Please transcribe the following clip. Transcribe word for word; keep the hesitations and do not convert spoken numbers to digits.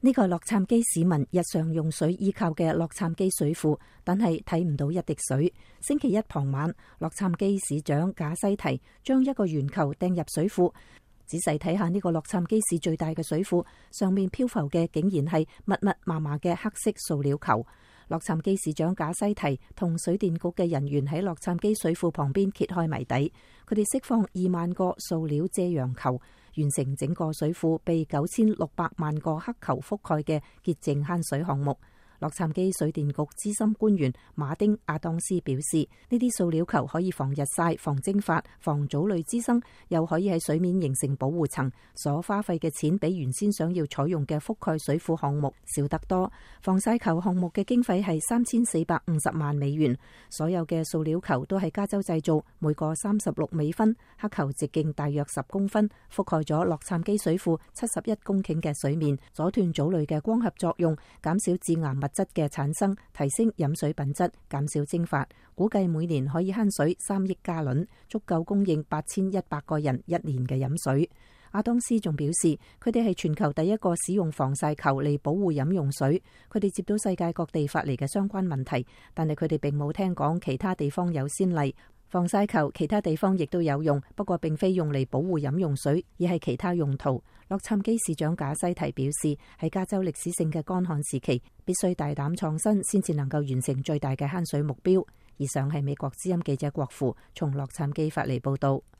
呢個洛杉磯市民日常用水依靠嘅洛杉磯水庫，但係睇唔到一滴水。星期一傍晚，洛杉磯市長賈西提將一個圓球掟入水庫，仔細睇下呢個洛杉磯市最大嘅水庫，上面漂浮嘅竟然係密密麻麻嘅黑色塑料球。洛杉磯市長賈西提同水電局嘅人員喺洛杉磯水庫旁邊揭開謎底，佢哋釋放二萬個塑料遮陽球，完成整個水庫被九千六百萬個黑球覆蓋嘅潔淨慳水項目。洛杉磯水電局資深官員馬丁亞當斯表示，呢啲塑料球可以防日曬、防蒸發、防藻類滋生，又可以喺水面形成保護層，所花費嘅錢比原先想要採用嘅覆蓋水庫項目少得多。防曬球項目嘅經費係三千四百五十萬美元，所有嘅塑料球都係加州製造，每個三十六美分，黑球直徑大約十公分，覆蓋咗洛杉磯水庫七十一公頃嘅水面，阻斷藻類嘅光合作用，減少致癌物質嘅產生，提升飲水品質，減少蒸發，估計每年可以慳水三億加侖，足夠供應八千一百個人一年嘅飲水。阿當斯仲表示，佢哋係全球第一個使用防曬球嚟保護飲用水。佢哋接到世界各地發嚟嘅相關問題，但係佢哋並冇聽講其他地方有先例。防曬球其他地方亦都有用，不過並非用嚟保護飲用水，而係其他用途。洛杉磯市長賈西提表示，喺加州歷史性嘅乾旱時期，必須大膽創新，先至能夠完成最大嘅慳水目標。以上係美國之音記者郭父從洛杉磯發嚟報道。